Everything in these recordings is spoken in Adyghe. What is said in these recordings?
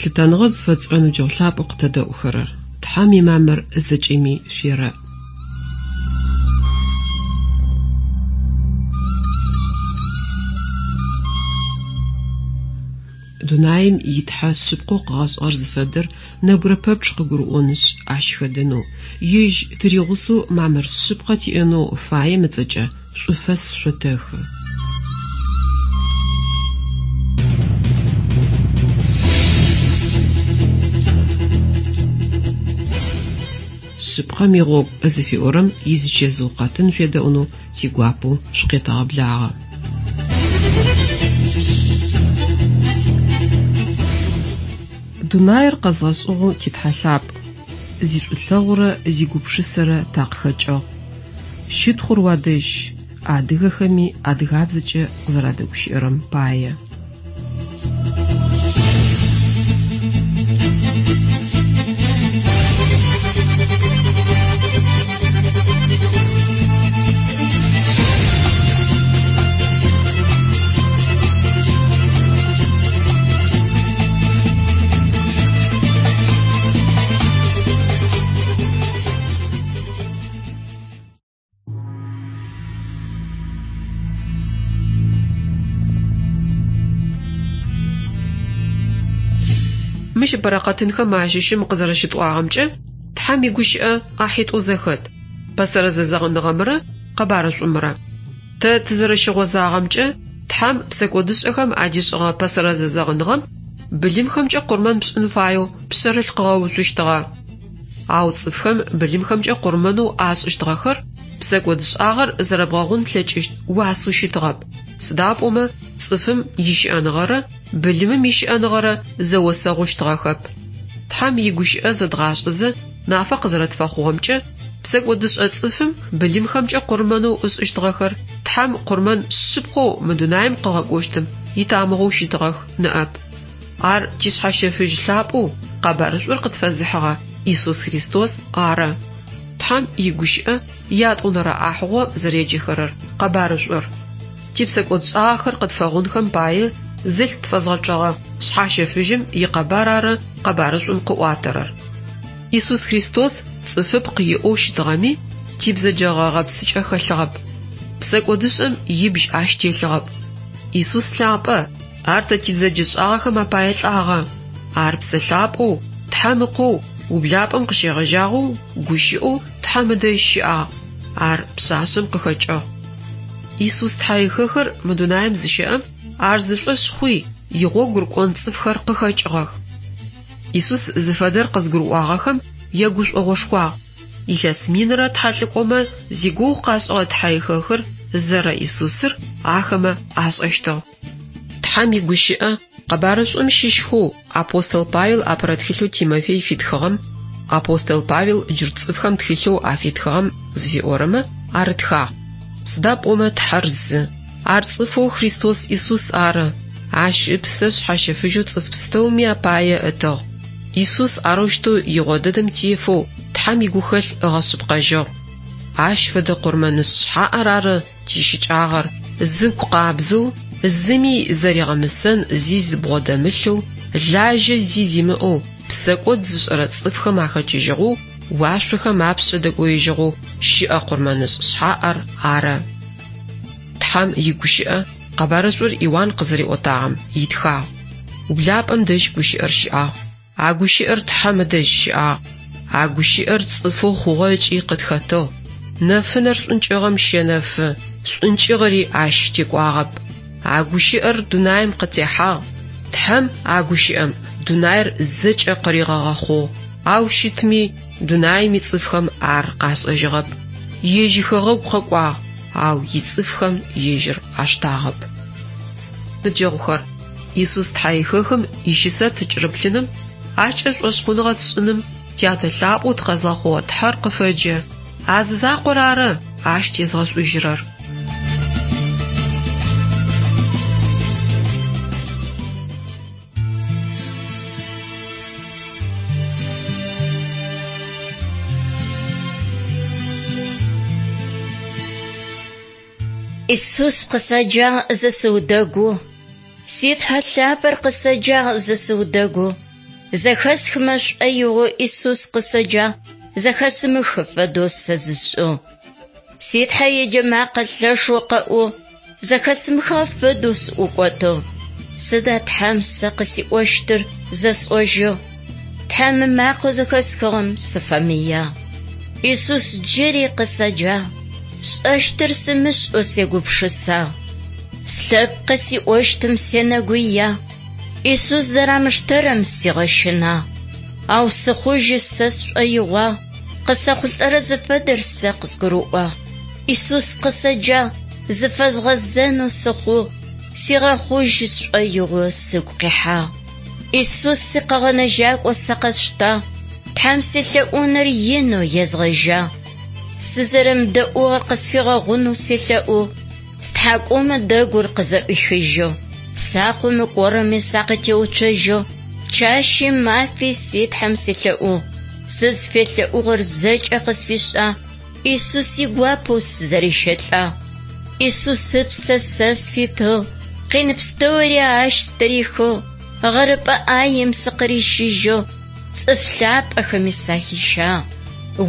Лъытэныгъэ зыфэтшӏырэ ныбджэгъу лъапӏэу къытэдэӏухэрэр, Тхьэм имамыр зэкӏэми шъуерэӏ. Дунаим и Тхьэ шъыпкъэу къыгъэшӏыгъэр зыфэдэр нэбгырэ пэпчъ къыгурыӏонышъ, ащ хэдэнэу, ежь тыригъусэу мамыр шъыпкъэ тиӏэнэу фаем ыцӏэкӏэ шӏуфэс шъотэхы. Шъыпкъэм игъогу зыфиӏорэм изычэзыу къэтын шъуедэӏунэу тигуапэу шъукъетэгъэблагъэ. Дунаир къэзгъэшӏыгъэу ти Тхьэ лъапӏ, зишӏулъэгъурэ зигупшысэрэ такъыхэкӏыгъ. Щытхъур уадэжь, адыгэхэми адыгабзэкӏэ къызэрадэгущыӏэрэм пае. Мыщ ыпэрэ къэтынхэм ащыщым къызэрэщытӏуагъэмкӏэ, Тхьэм игущыӏэ ӏахьитӏоу зэхэт, Пэсэрэ Зэзэгъыныгъэмрэ Къэбарышӏумрэ. Тэ тызэрэщыгъозагъэмкӏэ, Тхьэм псэкӏодышӏэхэм адишӏыгъэ Пэсэрэ Зэзэгъыныгъэм былымхэмкӏэ къурмэн пшӏын фаеу пшъэрылъ къыгъэуцущтыгъэ. Ау цӏыфхэм былымхэмкӏэ къурмэнэу ашӏыщтыгъэхэр псэкӏодышӏагъэр зэрэбгъэгъун плъэкӏыщт уасэу щытыгъэп, сыда пӏомэ цӏыфым ищыӏэныгъэрэ былымым ищыӏэныгъэрэ зэосэгъущтыгъэхэп. Тхьэм игущыӏэ зэдгъашӏэзэ нафэ къызэрэтфэхъугъэмкӏэ, псэкӏодышӏэ цӏыфым былымхэмкӏэ къурмэнэу ышӏыщтыгъэхэр Тхьэм къурмэн шъыпкъэу мы дунаим къыгъэкӏощтым итамыгъэу щытыгъэх ныӏэп. Ар тишъхьэщэфыжь лъапӏэу къэбарышӏур къытфэзыхьыгъэ Исус Христос ары. Тхьэм игущыӏэ ятӏонэрэ ӏахьыгъо зэреджэхэрэр къэбарышӏур. Типсэкӏодшӏагъэхэр къытфэгъунхэм пае зылъ тфэзгъэчъэгъэ Шъхьащэфыжьым икъэбар ары къэбарышӏум къыӏуатэрэр. Исус Христос цӏыфыпкъ иӏэу щытыгъэми, тибзэджэгъэ гъэпсыкӏэ хэлъыгъэп. Псэкӏодышӏэм ибжь ащ телъыгъэп. Исус лъапӏэ, ар тэ тибзэджэшӏагъэхэм апае лӏагъэ. Ар Псэ Лъапӏэу, Тхьэм Ыкъоу, ублапӏэм къыщегъэжьагъэу гущыӏэу Тхьэм ыдэжь щыӏагъ. Ар пшъашъэм къыхэкӏыгъ. Исус тхьэихэхыр мы дунаим зыщэӏэм, ар зышӏошъ хъуи, игъогу рыкӏон цӏыфхэр къыхэкӏыгъэх. Исус зыфэдэр къызгурыӏуагъэхэм ягушӏогъошхуагъ. Илъэс минрэ тхьэлӏыкӏомэ зигугъу къашӏыгъэ тхьэихэхыр зэрэ Исусыр ахэмэ ашӏэщтыгъ. Тхьэм игущыӏэ Къэбарышӏум щыщхэу апостол Павел апэрэ тхылъэу Тимофей фитхыгъэм, Апостол Павел джурт цӏыфхэм тхылъэу афитхыгъэм зыфиӏорэмэ арытхагъ. Сыда пӏомэ Тхьэр зы, ар цӏыфэу Христос Исус ары, ащ ыпсэ шъхьащэфыжьэу цӏыф пстэуми апае ытыгъ. Исус арэущтэу игъо дэдэм тефэу Тхьэм игухэлъ ыгъэшъыпкъэжьыгъ. Ащ фэдэ къурмэнышӏ шъхьаӏэр ары тищыкӏагъэр, зыгу къабзэу, зыми зэригъэмысэн зи зыбгъодэмылъэу, лажьэ зи зимыӏэу, псэкӏод зышӏэрэ цӏыфхэм ахэкӏыжьыгъэу, уашъохэм апшъэ дэкӏоежьыгъэу щыӏэ къурмэнышӏ шъхьаӏэр ары. Тхьэм игущыӏэ Къэбарышӏур Иуан къызэриӏотагъэм итхагъ. Ублапӏэм дэжь гущыӏэр щыӏагъ. А гущыӏэр Тхьэм ыдэжь щыӏагъ. А гущыӏэр цӏыфэу хъугъэ ыкӏи къытхэтыгъ. Нэфынэр шӏункӏыгъэм щэнэфы, шӏункӏыгъэри ащ текӏуагъэп. А гущыӏэр дунаим къытехьагъ. Тхьэм а гущыӏэм дунаир зэкӏэ къыригъэгъэхъугъ, ау щытми дунаим ицӏыфхэм ар къашӏэжьыгъэп. Ежь ихэгъэгу къэкӏуагъ, ау ицӏыфхэм ежьыр аштагъэп. Ныбджэгъухэр, Исус Тхьэихэхым ищысэ тыкӏырыплъыным, ащкӏэ шӏошъхъуныгъэ тшӏыным Тятэ лъапӏэу тыкъэзгъэхъугъэ Тхьэр къыфэджэ. А зы закъор ары ащ тезгъэшӏужьырэр. Исус къысэджагъ зэ сыудэгу, Си Тхьэ лъапӏэр къысэджагъ зэ сыудэгу. Зэхэсхымэ шӏоигъоу Исус къысэджагъ, зэхэсымыхы фэдэу сэ зысшӏыгъ. Си Тхьэ иеджэ макъэ лъэшэу къэӏугъ, зэхэсымыхыгъэ фэдэу сыӏукӏотыгъ. Сыда Тхьэм сэ къысиӏощтыр зэсӏожьыгъ. Тхьэм ымакъэу зэхэсхыгъэм сыфэмыягъ. Исус джыри къысэджагъ, сшӏэщтыр сымышӏэу сегупшысагъ. Слъэпкъ къысиӏощтым сенэгуягъ, Исус зэрамыштэрэм сигъэщынагъ. Ау сыхъужьы сэ сшӏоигъуагъ, къысэхъулӏэрэ зыфэдэр сэ къызгурыӏуагъ. Исус къысэджагъ, зыфэзгъэзэнэу сыхъугъ, сигъэхъужьы сшӏоигъо сыгу къихьагъ. Исус сикъэгъэнэжьакӏо сэ къэсштагъ, Тхьэм селъэӏуныр инэу езгъэжьагъ. Сызэрэмыдэӏугъэр къысфигъэгъунэу селъэӏугъ, стхьакӏумэ дэгур къызэӏуихыжьыгъ, сакъэу мыкӏорэми сакъытеуцожьыгъ, чэщи мафи си Тхьэм селъэӏугъ, сызфелъэӏугъэр зэкӏэ къысфишӏагъ, Исус игуапэу сызэрищэлӏагъ. Исус ыпсэ сэ сфитыгъ, къин пстэури ащ стырихыгъ, гъэрыпӏэ ӏаем сыкъырищыжьыгъ, цӏыф лъапӏэхэми сахищагъ.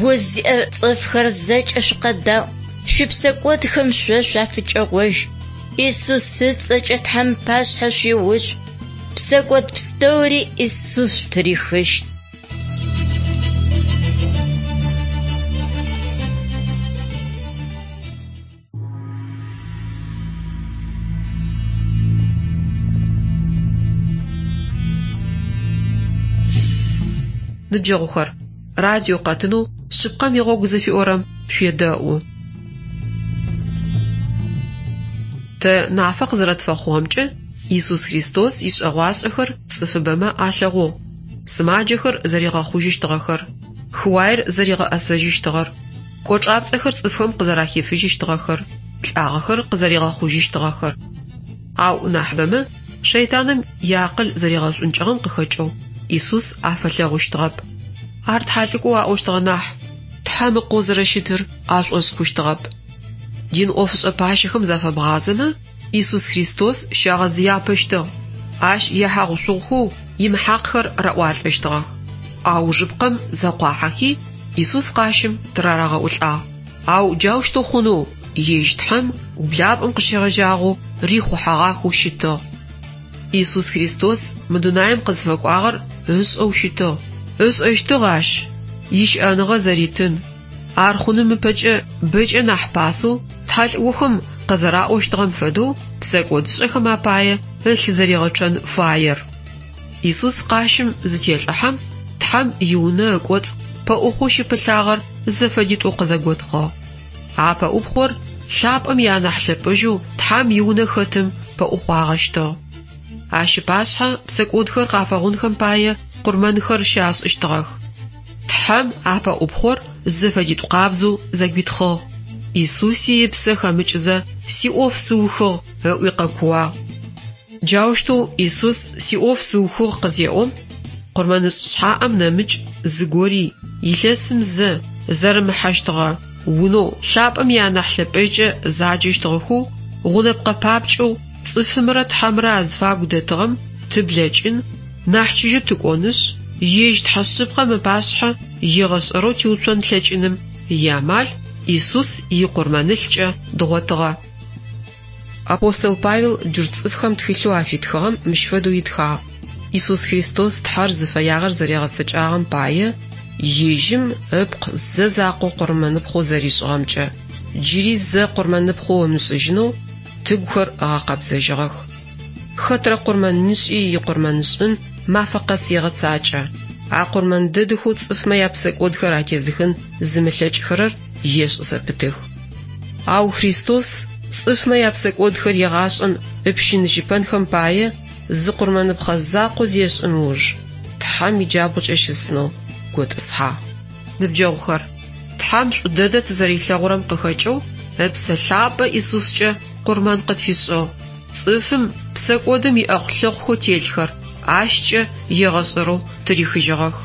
Уз зиӏэ цӏыфхэр зэкӏэ шъукъэдаӏу, шъуипсэкӏодхэм шъо шъуафыкӏэгъожь. Исус ыцӏэкӏэ Тхьэм пашъхьэ шъуиуцу, псэкӏод пстэури Исус шъутырихыщт. Ныбджэгъухэр, радио къэтынэу Шъыпкъэм игъогу зыфиӏорэм шъуедэӏу. Тэ нафэ къызэрэтфэхъугъэмкӏэ, Исус Христос ишӏэгъуашӏэхэр цӏыфыбэмэ алъэгъугъ. Сымаджэхэр зэригъэхъужьыщтыгъэхэр, хыуаер зэригъэӏэсэжьыщтыгъэр, кӏочӏапцӏэхэр цӏыфхэм къызэрахифыжьыщтыгъэхэр, лӏагъэхэр къызэригъэхъужьыщтыгъэхэр. Ау нахьыбэмэ шэйтаным иакъыл зэригъэшӏункӏыгъэм къыхэкӏэу Исус афэлъэгъущтыгъэп. Ар тхьалӏыкӏоу аӏощтыгъэ нахь, Тхьэм Ыкъоу зэрэщытыр ашӏошъ хъущтыгъэп. Дин ӏофышӏэ пащэхэм зафэбгъазэмэ, Исус Христос щагъэзыяпэщтыгъ, ащ ехьагъушъугъухэу имыхьакъхэр раӏуалӏэщтыгъэх. Аужыпкъэм зэкъуахьэхи, Исус къащым тырарагъэӏулӏагъ. Ау джаущтэу хъунэу ежь Тхьэм ублапӏэм къыщегъэжьагъэу рихъухьэгъахэу щытыгъ. Исус Христос мы дунаим къызфэкӏуагъэр ышӏэу щытыгъ. Ышӏэщтыгъ ащ ищыӏэныгъэ зэритын, Ар хъуным ыпэкӏэ бэкӏэ нахь пасэу тхьэлӏыкӏохэм къызэраӏощтыгъэм фэдэу псэкӏодышӏэхэм апае ылъ зэригъэчъэн фаер. Исус къащым зытелӏыхьэм, Тхьэм иунэ ыкӏоцӏ пэӏухъоу щыпылъагъэр зэфэдитӏоу къызэготхъыгъ. А пэӏупхъор лъапӏэм ианахь лъэпӏэжьэу Тхьэм иунэ хэтым пэӏухъуагъэщтыгъ. Ащ ыпашъхьэ псэкӏодхэр къафэгъунхэм пае къурмэнхэр щашӏыщтыгъэх. Тхьэм а пэӏупхъор зэфэдитӏу къабзэу зэгуитхъыгъ. Исуси ыпсэ хэмыкӏызэ, Сиӏоф сыухыгъ, ыӏуи къэкууагъ. Джаущтэу Исус Сиӏоф сыухыгъ къызеӏом, къурмэнышӏ шъхьаӏэм нэмыкӏ зыгори илъэсым зэ зэрымыхьэщтыгъэ унэу лъапӏэм ианахь лъэпӏэжькӏэ заджэщтыгъэхэу гъунэпкъэ папкӏэу цӏыфымрэ Тхьэмрэ азыфагу дэтыгъэм тыблэкӏын, нахь чыжьэу тыкӏонышъ, ежь Тхьэ шъыпкъэм ыпашъхьэ егъэшӏэрэу тиуцон тлъэкӏыным иамал Исус икъурмэнылъкӏэ дгъотыгъэ. Апостол Павел джурт цӏыфхэм тхылъэу афитхыгъэм мыщ фэдэу итхагъ, Исус Христос Тхьэр зыфэягъэр зэригъэцэкӏагъэм пае, ежьым ыпкъ зэ закъо къурмэныпхъэу зэришӏыгъэмкӏэ, джыри зэ къурмэныпхъэу ымышӏыжьынэу тыгухэр ыгъэкъэбзэжьыгъэх. Хэтрэ къурмэнышӏи икъурмэнышӏын мафэ къэс егъэцакӏэ. А къурмэн дэдэхэу цӏыфмэ япсэкӏодхэр атезыхын зымылъэкӏхэрэр ешӏ зэпытых. Ау Христос цӏыфмэ япсэкӏодхэр егъашӏэм ыпщыныжьыпэнхэм пае зы къурмэныпхъэ закъо зешӏым ыуж, Тхьэм иджабгъукӏэ щысынэу готӏысхьагъ. Ныбджэгъухэр, Тхьэм шӏу дэдэ тызэрилъэгъурэм къыхэкӏэу Ыпсэ Лъапӏэ Исускӏэ къурмэн къытфишӏыгъ, цӏыфым псэкӏодым иӏэхъу-лъэхъухэу телъхэр ащкӏэ егъэшӏэрэу тырихыжьыгъэх.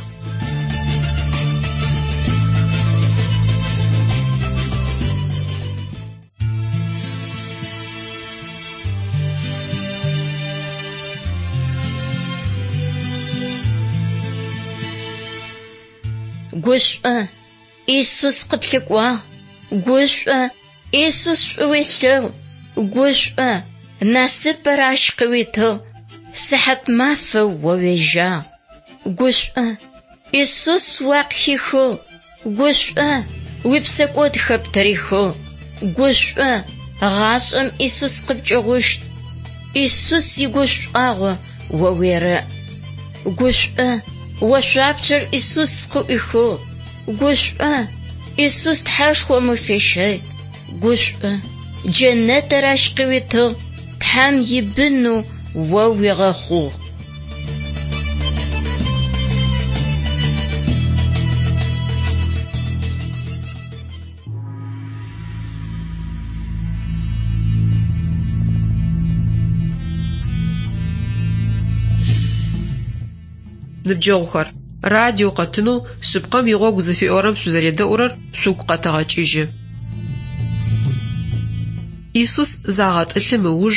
Гушӏо, Исус къыплъыкӏуагъ. Гушӏо, Исус шӏу уелъэгъу. Гушӏо, насыпыр ащ къыуитыгъ. Сыхьат мафэ о уежьагъ. Гушӏо, Исус уакъыхихыгъ. Гушӏо, уипсэкӏодхэр птырихыгъ. Гушӏо, гъашӏэм Исус къыпкӏыгъущт. Исус игушӏуагъо о уерэӏ. Гушӏо, ошъуапщэр Исус къыӏуихыгъ. Гушӏо, Исус Тхьэшхом уфещэй. Гушӏо, джэнэтыр ащ къыуитыгъ, Тхьэм ибынэу о уигъэхъугъ. Ныбджэгъухэр, радио къэтынэу «Шъыпкъэм игъогу» зыфиӏорэм шъузэредэӏурэр шъугу къэтэгъэкӏыжьы. Исус загъэтӏылъым ыуж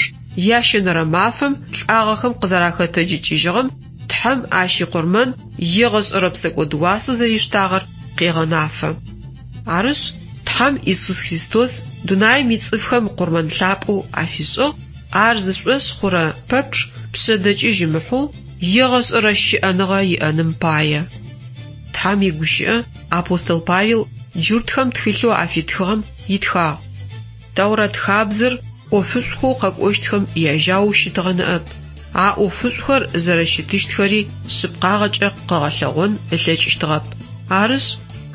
ящэнэрэ мафэм лӏагъэхэм къызэрахэтэджыкӏыжьыгъэм Тхьэм ащ икъурмэн егъэшӏэрэ псэкӏод уасэу зэриштагъэр къегъэнафэ. Арышъ, Тхьэм Исус Христос дунаим ицӏыфхэм къурмэн лъапӏэу афишӏыгъ, ар зышӏошъ хъурэ пэпчъ пшъэдэкӏыжь ымыхьэу егъэшӏэрэ щыӏэныгъэ иӏэным пае. Тхьэм игущыӏэ апостол Павел джуртхэм тхылъэу афитхыгъэм итхагъ. Тэурэт хабзэр ӏофышӏухэу къэкӏощтхэм яжьаоу щытыгъэ ныӏэп. А ӏофышӏухэр зэрэщытыщтхэри шъыпкъагъэкӏэ къыгъэлъэгъон ылъэкӏыщтыгъэп. Арышъ,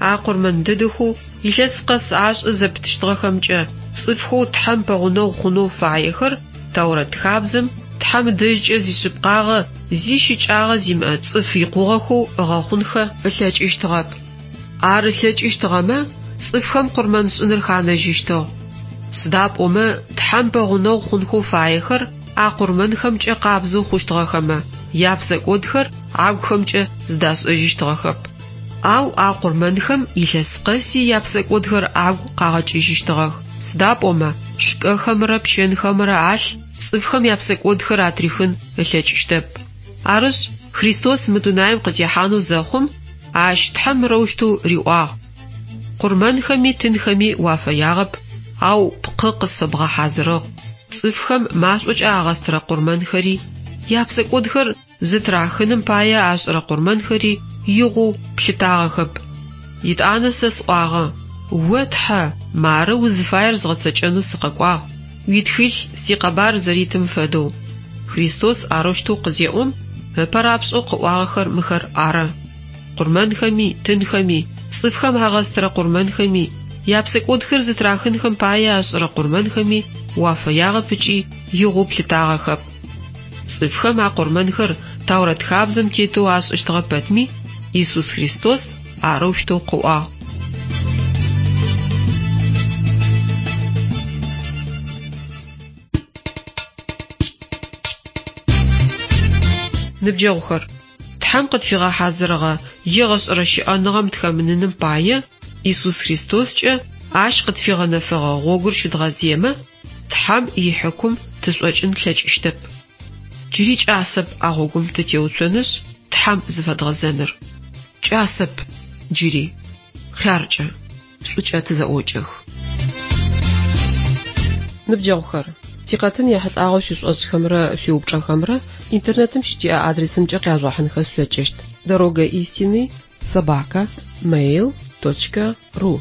а къурмэн дэдэхэу илъэс къэс ашӏы зэпытыщтыгъэхэмкӏэ цӏыфхэу Тхьэм пэгъунэгъу хъунэу фаехэр Тэурэт хабзэм Тхьэм ыдэжькӏэ зишъыпкъагъэ, зи щыкӏагъэ зимыӏэ цӏыф икъугъэхэу ыгъэхъунхэ ылъэкӏыщтыгъэп. Ар ылъэкӏыщтыгъэмэ, цӏыфхэм къурмэншӏыныр ханэжьыщтыгъ. Сыда пӏомэ Тхьэм пэгъунэгъу хъунхэу фаехэр а къурмэнхэмкӏэ къабзэу хъущтыгъэхэмэ, япсэкӏодхэр агухэмкӏэ зыдашӏэжьыщтыгъэхэп. Ау а къурмэнхэм илъэс къэси япсэкӏодхэр агу къагъэкӏыжьыщтыгъэх, сыда пӏомэ шкӏэхэмрэ пчэнхэмрэ алъ цӏыфхэм япсэкӏодхэр атрихын ылъэкӏыщтэп. Арышъ, Христос мы дунаим къытехьанэу зэхъум, ащ Тхьэм мырэущтэу риӏуагъ: Къурмэнхэми тынхэми уафэягъэп, ау пкъы къысфэбгъэхьазырыгъ. Цӏыфхэм машӏокӏэ агъэстырэ къурмэнхэри, япсэкӏодхэр зытырахыным пае ашӏырэ къурмэнхэри игъоу плъытагъэхэп. Етӏанэ сэ сӏуагъэ: О, Тхьэ, мары узыфаер згъэцэкӏэнэу сыкъэкӏуагъ, уитхылъ сикъэбар зэритым фэдэу. Христос арэущтэу къызеӏом, ыпэ рапшӏэу къыӏуагъэхэр мыхэр ары. Къурмэнхэми, тынхэми, цӏыфхэм агъэстырэ къурмэнхэми, япсэкӏодхэр зытырахынхэм пае ашӏырэ къурмэнхэми уафэягъэп ыкӏи игъоу плъытагъэхэп. Цӏыфхэм а къурмэнхэр Таурэт хабзэм тетэу ашӏыщтыгъэ пэтми, Исус Христос арэущтэу къыӏуагъ. Ныбджэгъухэр, Тхьэм къытфигъэхьазырыгъэ егъэшӏэрэ щыӏэныгъэм тыхэмыныным пае, Исус Христоскӏэ ащ къытфигъэнэфэгъэ гъогур щыдгъэзыемэ, Тхьэм ихьыкум тышӏокӏын тлъэкӏыщтэп. Джыри кӏасэп а гъогум тытеуцонышъ, Тхьэм зыфэдгъэзэныр. Кӏасэп джыри. Хъяркӏэ, шӏукӏэ тызэӏокӏэх. Ныбджэгъухэр, тикъэтын ехьылӏагъэу шъуишӏошӏхэмрэ шъуиупчӏэхэмрэ интернетым щытиӏэ адресымкӏэ къяжъугъэхьынхэ шъулъэкӏыщт: Дорога истины собака mail точка ру.